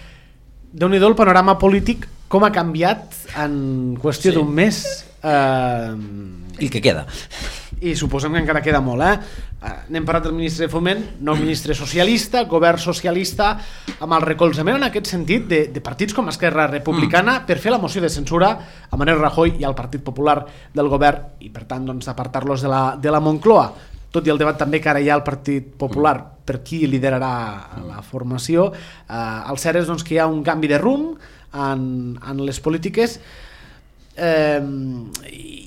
déu-n'hi-do el panorama polític, com ha canviat en qüestió sí. d'un mes. Uh, I el que queda. I suposem que encara queda molt, eh? N'hem parlat del ministre de Foment, nou ministre socialista, govern socialista, amb el recolzament en aquest sentit de, de partits com Esquerra Republicana mm. per fer la moció de censura a Mariano Rajoy i al Partit Popular del govern i per tant doncs, apartar-los de la, de la Moncloa, tot i el debat també que ara hi ha al Partit Popular per qui liderarà la formació. Eh, el cert és doncs, que hi ha un canvi de rumb en, en les polítiques. Eh,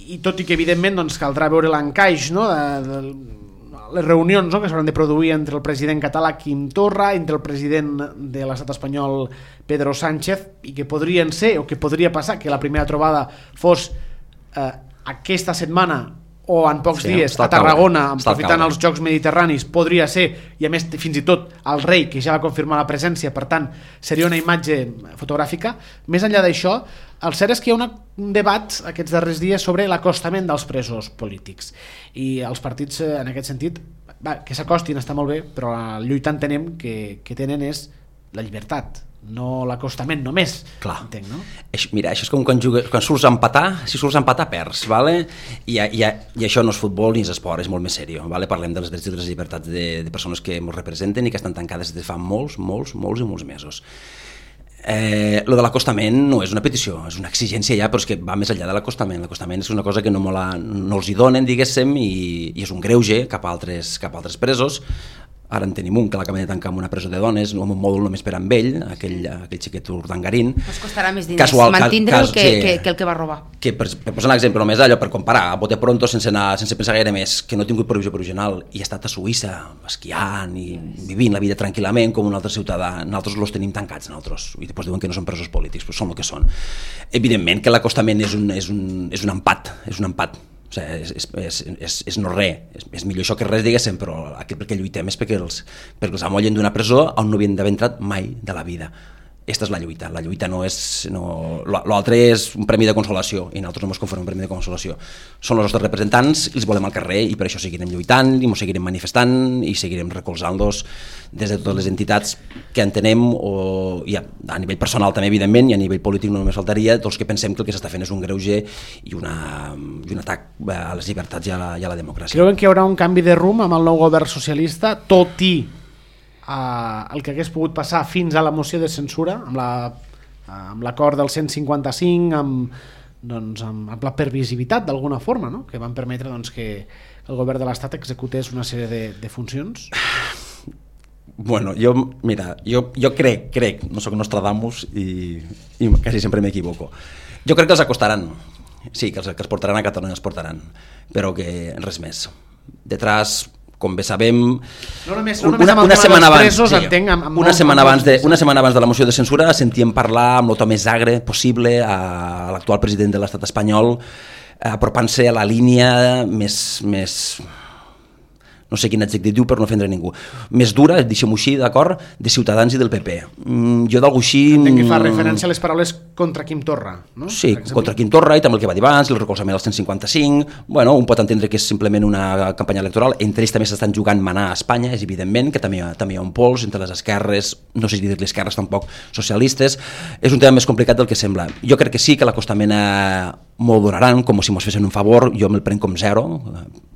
i tot i que evidentment doncs, caldrà veure l'encaix, no? de, de les reunions, no? que s'hauran de produir entre el president català Quim Torra, entre el president de l'estat espanyol Pedro Sánchez, i que podrien ser o que podria passar que la primera trobada fos eh, aquesta setmana o en pocs sí, dies a Tarragona, aprofitant els Jocs Mediterranis, podria ser, i a més fins i tot el rei, que ja va confirmar la presència, per tant seria una imatge fotogràfica. Més enllà d'això, el cert és que hi ha una, un debat aquests darrers dies sobre l'acostament dels presos polítics, i els partits en aquest sentit va, que s'acostin està molt bé, però la lluita entenem que, que tenen és la llibertat, no l'acostament només. Clar. Entenc, no? Mira, això és com quan, jugues, quan surts a empatar, si surts a empatar perds, vale? I, i, i això no és futbol ni és esport, és molt més seriós, vale? Parlem dels drets i de les llibertats de, de persones que ens representen i que estan tancades des de fa molts, molts, molts i molts mesos. Eh, lo de l'acostament no és una petició, és una exigència ja, però és que va més enllà de l'acostament. L'acostament és una cosa que no, la, no els hi donen, diguéssim, i, i és un greuge cap a altres, cap a altres presos. Ara en tenim un que l'acaben de tancar en una presó de dones, amb un mòdul només per amb ell, aquell, aquell xiquet urdangarín. Us costarà més diners Casual, mantindre'l que, que, que el que va robar. Que per, per posar un exemple només, allò per comparar, a bote pronto, sense, anar, sense pensar gaire més, que no ha tingut provisió provisional i ha estat a Suïssa, esquiant i vivint la vida tranquil·lament com un altre ciutadà. Nosaltres els tenim tancats, nosaltres, i després diuen que no són presos polítics, però són el que són. Evidentment que l'acostament és un, és, un, és un empat, és un empat. O sigui, és, és, és, és no res, és, és millor això que res, diguéssim, però aquí perquè lluitem és perquè els, perquè els amollen d'una presó on no havien d'haver entrat mai de la vida. Aquesta és la lluita, la lluita no és... No, l'altre és un premi de consolació i nosaltres no ens conformem un premi de consolació. Són els nostres representants i els volem al carrer i per això seguirem lluitant i ens seguirem manifestant i seguirem recolzant-los des de totes les entitats que entenem o, i a, a nivell personal també evidentment i a nivell polític no només faltaria tots que pensem que el que s'està fent és un greuge i, una, i un atac a les llibertats i a la, i a la democràcia. Creuen que hi haurà un canvi de rumb amb el nou govern socialista, tot i Uh, el que hagués pogut passar fins a la moció de censura amb la, uh, amb l'acord del cent cinquanta-cinc amb, doncs, amb, amb la pervisivitat d'alguna forma, no? Que van permetre doncs, que el govern de l'Estat executés una sèrie de, de funcions. Bueno, jo, mira, jo, jo crec, crec, no sóc Nostradamus i, i quasi sempre m'equivoco. Jo crec que els acostaran, sí, que els que els portaran a Catalunya els portaran, però que res més. Detrás, com bé sabem, no només, no només una, una setmana abans, presos, sí, entenc, amb, amb una, setmana abans de, una setmana abans de la moció de censura sentíem parlar amb el to més agre possible a l'actual president de l'estat espanyol, apropant-se a la línia més, més no sé quin adjectiu per no ofendre ningú, més dura, deixem-ho així, d'acord, de Ciutadans i del P P. Mm, jo d'algú així... Entenc que fa referència a les paraules contra Quim Torra, no? Sí, contra Quim Torra i també el que va dir abans, el recolzament al cent cinquanta-cinc, bueno, un pot entendre que és simplement una campanya electoral, entre ells també s'estan jugant manar a Espanya, és evidentment que també, també hi ha un pols entre les esquerres, no sé si dir-li esquerres tampoc, socialistes, és un tema més complicat del que sembla. Jo crec que sí que l'acostament eh, m'ho donaran, com si mos fessin un favor, jo me'l prenc com zero,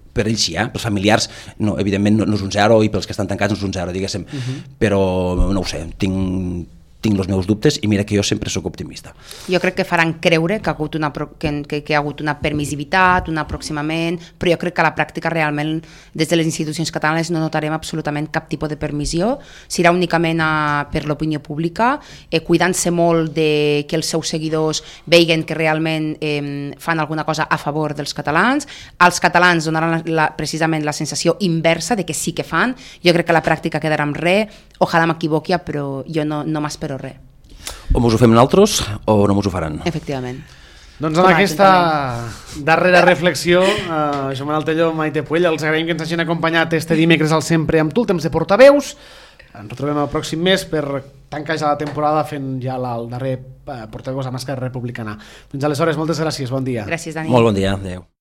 per ells sí, eh? Pels familiars no, evidentment no, no és un zero i pels que estan tancats no és un zero, diguéssim, uh-huh. Però no ho sé, tinc tinc els meus dubtes i mira que jo sempre sóc optimista. Jo crec que faran creure que ha hagut una, que, que, que hi ha hagut una permissivitat, un aproximament, però jo crec que a la pràctica realment des de les institucions catalanes no notarem absolutament cap tipus de permissió, serà únicament a, per l'opinió pública, eh, cuidant-se molt de que els seus seguidors veguen que realment eh, fan alguna cosa a favor dels catalans, els catalans donaran la, la, precisament la sensació inversa de que sí que fan, jo crec que a la pràctica quedarà amb res, ojalà m'equivoqui, però jo no, no m'espero res. O mos ho fem nosaltres o no mos ho faran. Efectivament. Doncs amb aquesta darrera reflexió, eh, Joan Manuel Tello, Maite Puell, els agraïm que ens hagin acompanyat este dimecres al Sempre amb tu, el temps de portaveus. Ens retrobem el pròxim mes per tancar ja la temporada fent ja la, el darrer portaveus amb Esquerra Republicana. Fins aleshores, moltes gràcies, bon dia. Gràcies, Dani. Molt bon dia, adeu.